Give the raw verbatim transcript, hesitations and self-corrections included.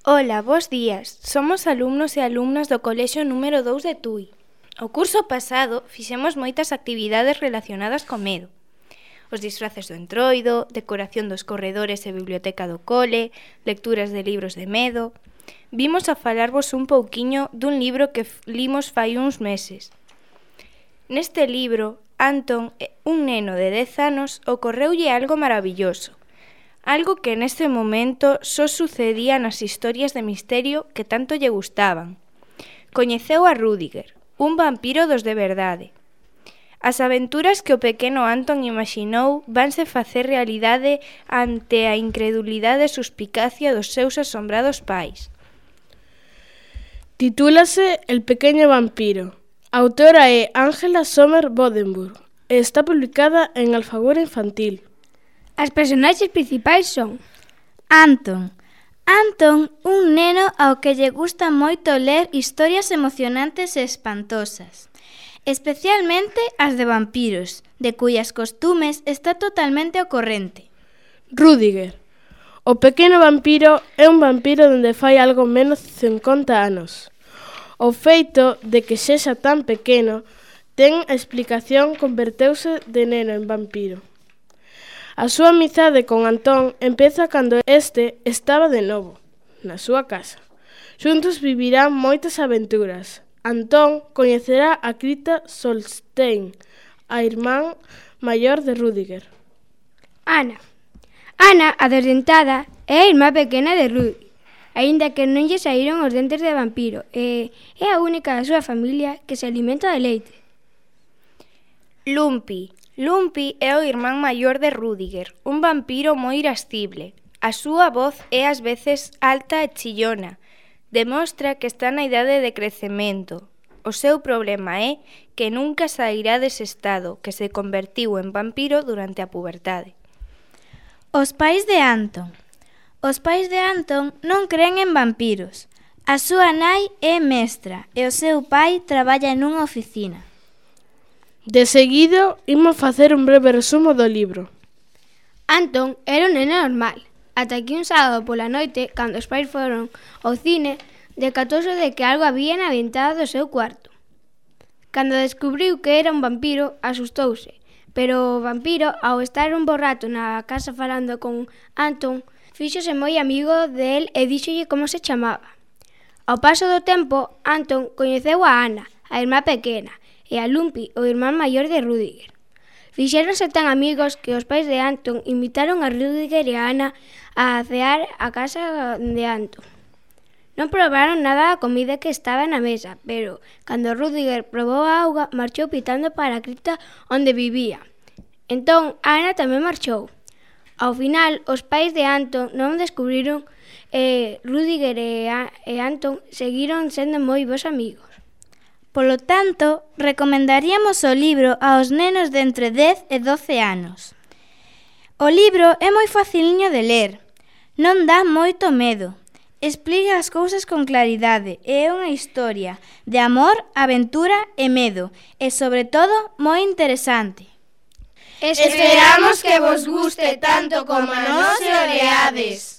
Ola, bos días. Somos alumnos e alumnas do colexio número dous de Tui. O curso pasado fixemos moitas actividades relacionadas co medo. Os disfraces do entroido, decoración dos corredores e biblioteca do cole, lecturas de libros de medo. Vimos a falarvos un pouquiño dun libro que limos fai uns meses. Neste libro, Antón, un neno de dez anos, ocorreulle algo maravilloso. Algo que neste momento só sucedía nas historias de misterio que tanto lle gustaban. Coñeceu a Rudiger, un vampiro dos de verdade. As aventuras que o pequeno Antón imaxinou vanse facer realidade ante a incredulidade e suspicacia dos seus asombrados pais. Titúlase El pequeño vampiro. A autora é Ángela Sommer Bodenburg e está publicada en Alfaguara Infantil. As personaxes principais son Antón. Antón, un neno ao que lle gusta moito ler historias emocionantes e espantosas, especialmente as de vampiros, de cuyas costumes está totalmente ao corrente. Rudiger. O pequeno vampiro é un vampiro dende fai algo menos de cincuenta anos. O feito de que sexa tan pequeno ten a explicación converteuse de neno en vampiro. A súa amizade con Antón empeza cando este estaba de novo, na súa casa. Xuntos vivirán moitas aventuras. Antón coñecerá a Krita Solstein, a irmán maior de Rudiger. Ana. Ana, a desdentada, é a irmá pequena de Rudiger, aínda que non lle saíron os dentes de vampiro, e é a única da súa familia que se alimenta de leite. Lumpi. Lumpi é o irmán maior de Rudiger, un vampiro moi irascible. A súa voz é ás veces alta e chillona. Demostra que está na idade de crecemento. O seu problema é que nunca sairá dese estado, que se convertiu en vampiro durante a puberdade. Os pais de Antón. Os pais de Antón non cren en vampiros. A súa nai é mestra e o seu pai traballa nunha oficina. De seguido, imos facer un breve resumo do libro. Antón era un neno normal, ata que un sábado pola noite, cando os pais foron ao cine, decatouse de que algo había na ventana do seu cuarto. Cando descubriu que era un vampiro, asustouse, pero o vampiro, ao estar un bo rato na casa falando con Antón, fíxose moi amigo del e díxolle como se chamaba. Ao paso do tempo, Antón coñeceu a Ana, a irmá pequena, e a Lumpi, o irmán maior de Rudiger. Fixéronse tan amigos que os pais de Antón invitaron a Rudiger e a Ana a cear a casa de Antón. Non probaron nada da comida que estaba na mesa, pero cando Rudiger probou a auga, marchou pitando para a cripta onde vivía. Entón, a Ana tamén marchou. Ao final, os pais de Antón non descubriron e Rudiger e, a, e Antón seguiron sendo moi bons amigos. Polo tanto, recomendaríamos o libro aos nenos de entre dez e doce anos. O libro é moi faciliño de ler, non dá moito medo, explica as cousas con claridade e é unha historia de amor, aventura e medo, e sobre todo moi interesante. Esperamos que vos guste tanto como a nós e o leades.